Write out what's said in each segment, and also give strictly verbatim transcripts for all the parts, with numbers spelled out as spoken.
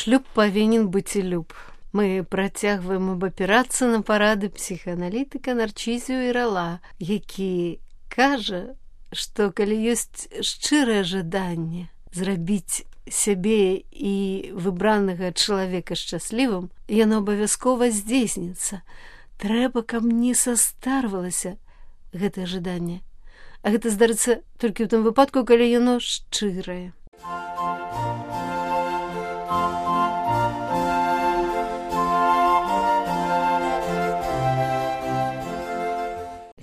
Шлюб павінен быць і люб. Мы працягваем абапірацца на парады псіхааналітыка Нарцізіо Ірала, які кажа, што калі ёсць шчырае жаданне зрабіць сябе і выбранага чалавека шчаслівым, яно абавязкова здзейсніцца. Трэба, каб не састарвалася гэтае жаданне. А гэта здарыцца толькі ў тым выпадку, калі яно шчырае.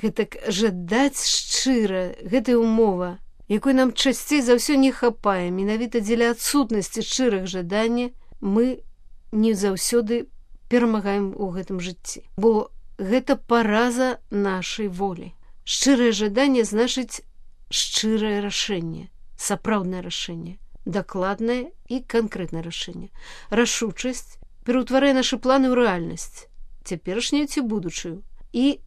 Гэтак жадаць шчыра, гэтая умова, якой нам часцей за ўсё не хапае, менавіта дзеля адсутнасці шчырых жадання, мы не заўсёды перамагаем у гэтым жыцці. Бо гэта параза нашай волі. Шчырае жаданне значыць шчырае рашэнне, сапраўднае рашэнне, дакладнае і канкрэтнае рашэнне. Рашучасць пераўтварае нашы планы ў рэальнасць, цяперашнюю ці будучую, і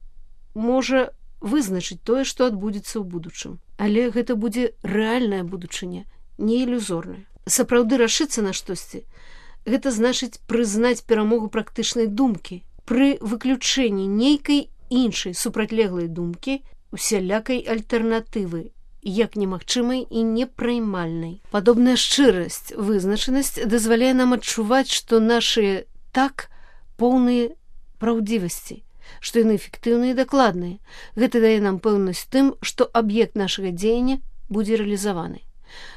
можа вызначыць тое, што адбудзецца ў будучым. Але гэта будзе рэальная будучыня, не ілюзорная. Сапраўды рашыцца на штосьці – гэта значыць прызнаць перамогу практычнай думкі пры выключэнні нейкай іншай супрацьлеглай думкі, усялякай альтэрнатывы, як немагчымай і непраймальнай. Падобная шчырасць, вызначанасць дазваляе нам адчуваць, што нашыя так поўныя праўдзівасці, што яны эфектыўныя і дакладныя. Гэта дае нам пэўнасць тым, што аб'ект нашага дзеяння будзе рэалізаваны,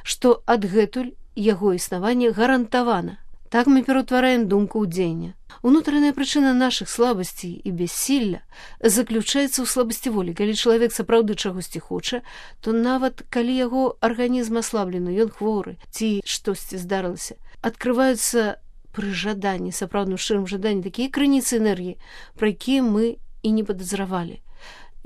што адгэтуль яго існаванне гарантавана. Так мы пераўтвараем думку ў дзеянне. Унутраная прычына нашых слабасцей і бяссілля заключаецца ў слабасці волі. Калі чалавек сапраўды чагосьці хоча, то нават калі яго арганізм аслаблены, ён хворы ці штосьці здарылася, адкрываюцца пры жаданні, сапраўдным шчырым жаданні, такія крыніцы энергіі, пра якія мы і не падазравалі.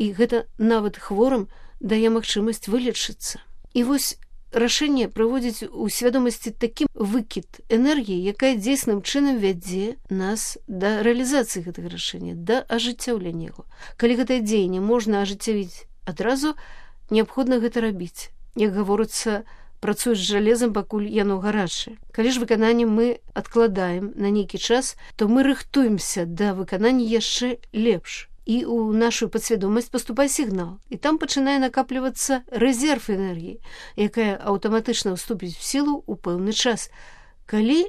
І гэта нават хворым дае магчымасць вылечыцца. І вось рашэнне прыводзіць у свядомасці такі выкід энергіі, якая дзейсным чынам вядзе нас да рэалізацыі гэтага рашэння, да ажыццяўлення яго. Калі гэтае дзеянне можна ажыццявіць адразу, неабходна гэта рабіць. Як гаворыцца, працуе з жалезам, пакуль яно гарачае. Калі ж выкананне мы адкладаем на нейкі час, то мы рыхтуемся да выканання яшчэ лепш. І ў нашу падсвядомасць паступае сігнал, і там пачынае накаплівацца рэзерв энергіі, якая аўтаматычна ўступіць у сілу ў пэўны час. Калі,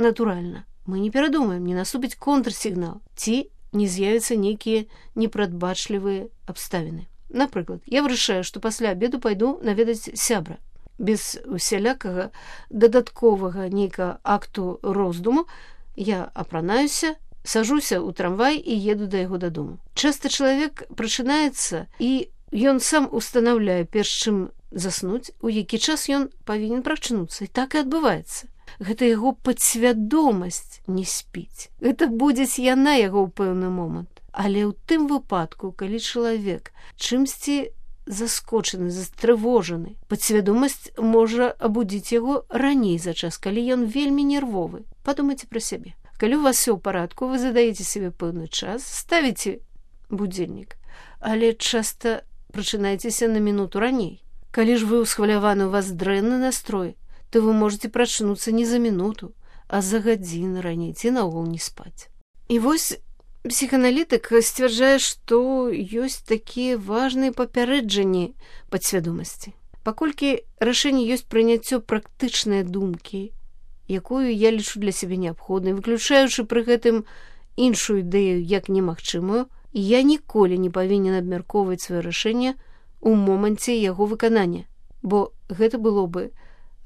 натуральна, мы не перадумаем, не наступіць контрсігнал, ці не з'явяцца нейкія непрадбачлівыя абставіны. Напрыклад, я вырашаю, што пасля абеду пайду наведаць сябра. Без усялякага дадатковага нейкага акту роздуму я апранаюся, сажуся ў трамвай і еду да яго дадому. Часта чалавек прачынаецца, і ён сам устанаўляе, перш чым заснуць, у які час ён павінен прачнуцца. І так і адбываецца. Гэта яго падсвядомасць не спіць. Гэта будзець яна яго ў пэўны момант. Але ў тым выпадку, калі чалавек чымсьці заскочаны, застрывожаны, падсвядомасць можа абудзіць яго раней за час, калі ён вельмі нервовы. Падумайце пра сябе. Калі у вас все ў парадку, вы задаеце себе пэўны час, ставіце будзільнік, але часта прачынаецеся на мінуту раней. Калі ж вы ўсхваляваны, у вас дрэнны настрой, то вы можете прачнуцца не за мінуту, а за гадзіну раней, ці наогул не спаць. І вось псіхааналітык сцвярджае, што ёсць такія важныя папярэджанні падсвядомасці. Паколькі рашэнне ёсць прыняццё практычнай думкі, якую я лічу для сябе неабходнай, выключаючы пры гэтым іншую ідэю як немагчымую, я ніколі не павінен абмяркоўваць сваё рашэнне ў моманце яго выканання, бо гэта было бы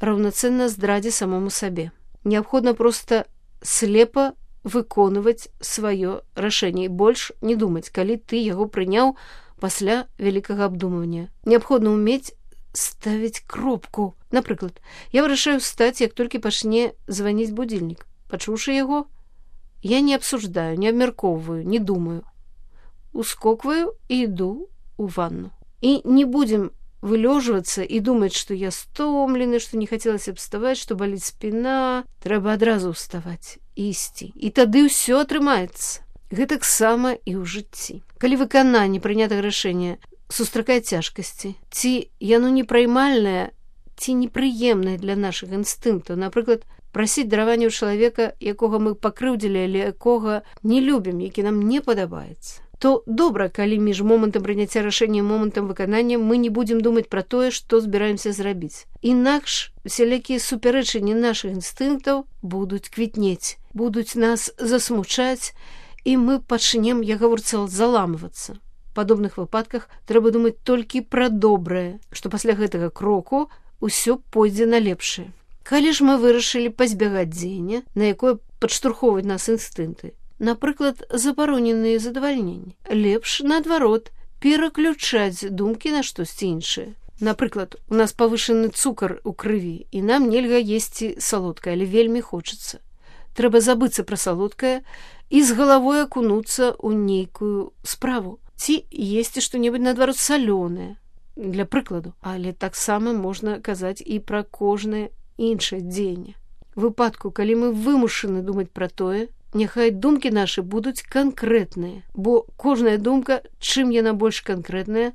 раўнацэнна здрадзе самому сабе. Неабходна проста слепа выконваць сваё рашэнне і больш не думаць, калі ты яго прыняў пасля вялікага абдумвання. Неабходна ўмець ставіць кропку. Напрыклад, я вырашаю встаць, як толькі пачне званіць будзільнік. Пачуўшы яго, я не абсуждаю, не абмяркоўваю, не думаю. Ускокваю і іду ў ванну. І не будзем вылёжвацца і думаць, што я стомлены, што не хацелася б вставаць, што баліць спіна. Трэба адразу ўставаць і ісці. І тады ўсё атрымаецца. Гэтаксама і ў жыцці. Калі выкананне прынятага рашэння сустракае цяжкасці, ці яно непраймальнае, ці непрыемнае для нашых інстынктаў, напрыклад, прасіць даравання ў чалавека, якога мы пакрыўдзілі, але якога не любім, які нам не падабаецца, то добра, калі між момантам прыняцця рашэння і момантам выканання мы не будзем думаць пра тое, што збіраемся зрабіць. Інакш усялякія супярэчанні нашых інстынктаў будуць квітнець, будуць нас засмучаць, і мы пачнем, я гаворца, заламвацца. У падобных выпадках трэба думаць толькі пра добрае, што пасля гэтага кроку усё пойдзе на лепшае. Калі ж мы вырашылі пазбягаць дзеяння, на якое падштурхоўваюць нас інстынкты, напрыклад, забароненыя задавальненні, лепш, наадварот, пераключаць думкі на штосьці іншае. Напрыклад, у нас павышаны цукар у крыві, і нам нельга есці салодкае, але вельмі хочацца. Трэба забыцца пра салодкае і з галавой акунуцца ў нейкую справу. Ці есці што-небудзь, наадварот, салёнае, для прыкладу. Але таксама можна казаць і пра кожнае іншае дзеянне. У выпадку, калі мы вымушаны думаць пра тое, няхай думкі нашы будуць канкрэтныя, бо кожная думка, чым яна больш канкрэтная,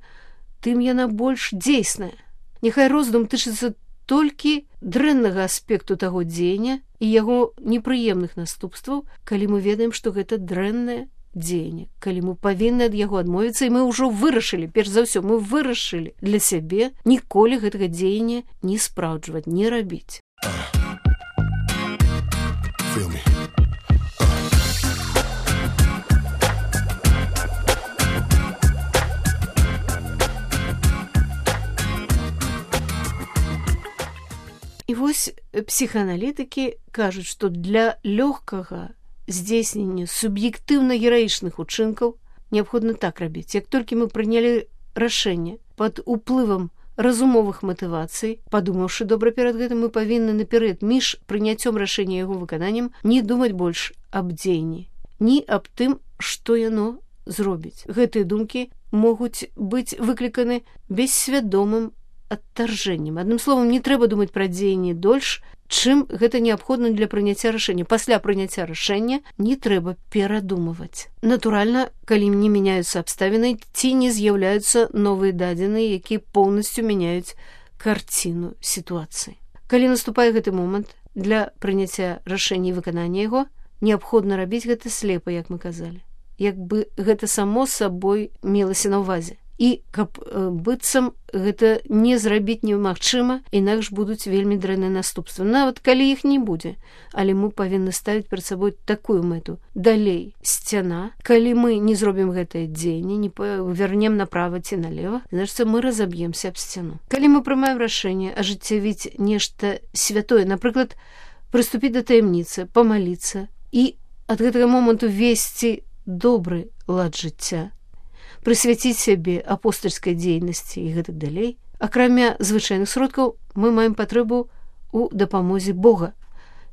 тым яна больш дзейсная. Няхай роздум тычыцца толькі дрэннага аспекту таго дзеяння і яго непрыемных наступстваў, калі мы ведаем, што гэта дрэннае дзеянне, калі мы павінны ад яго адмовіцца, і мы ўжо вырашылі, перш за ўсё, мы вырашылі для сябе ніколі гэтага дзеяння не спраўджваць, не рабіць. І вось псіхааналітыкі кажуць, што для лёгкага здзейснення суб'ектыўна-гераічных учынкаў неабходна так рабіць. Як толькі мы прынялі рашэнне пад уплывам разумовых матывацый, падумаўшы добра перад гэтым, мы павінны наперад між прыняццём рашэння і яго выкананнем не думаць больш аб дзеянні, ні аб тым, што яно зробіць. Гэтыя думкі могуць быць выкліканы бессвядомым адтаржэннем. Адным словам, не трэба думаць пра дзеянні дольш, чым гэта неабходна для прыняцця рашэння. Пасля прыняцця рашэння не трэба перадумываць. Натуральна, калі не мяняюцца абставіны, ці не з'яўляюцца новыя дадзеныя, якія поўнасцю мяняюць карціну сітуацыі. Калі наступае гэты момант, для прыняцця рашэння і выканання яго неабходна рабіць гэта слепа, як мы казалі. Як бы гэта само сабой мелася на ўвазе. І каб э, быццам гэта не зрабіць немагчыма, інакш будуць вельмі дрэнныя наступствы. Нават калі іх не будзе, але мы павінны ставіць перад сабой такую мэту. Далей сцяна. Калі мы не зробім гэтае дзеянне, не павернем направа ці налева, значыць, мы разаб'емся аб сцяну. Калі мы прымаем рашэнне ажыццявіць нешта святое, напрыклад, прыступіць да таямніцы, памаліцца і ад гэтага моманту весці добры лад жыцця, прысвяціць сябе апостальскай дзейнасці і гэтак далей, акрамя звычайных сродкаў, мы маем патрэбу ў дапамозе Бога,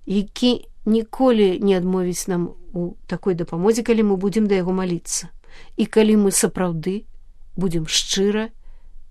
які ніколі не адмовіць нам у такой дапамозе, калі мы будзем да яго маліцца. І калі мы сапраўды будзем шчыра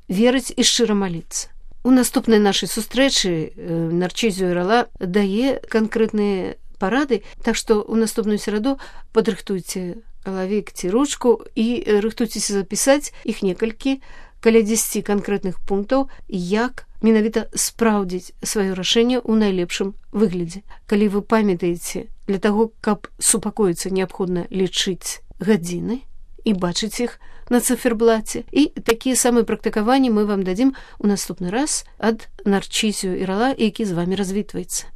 верыць і шчыра маліцца. У наступнай нашай сустрэчы Нарчызіо Ірала дае канкрэтныя парады, так што ў наступную сераду падрыхтуйце галавік ці ручку і рыхтуйцеся запісаць іх некалькі, каля дзесяці канкрэтных пунктаў, як менавіта спраўдзіць сваё рашэнне ў найлепшым выглядзе. Калі вы памятаеце, для таго, каб супакоіцца, неабходна лічыць гадзіны і бачыць іх на циферблаце. І такія самыя практыкаванні мы вам дадзім у наступны раз ад Нарчызіо Ірала, які з вамі развітваецца.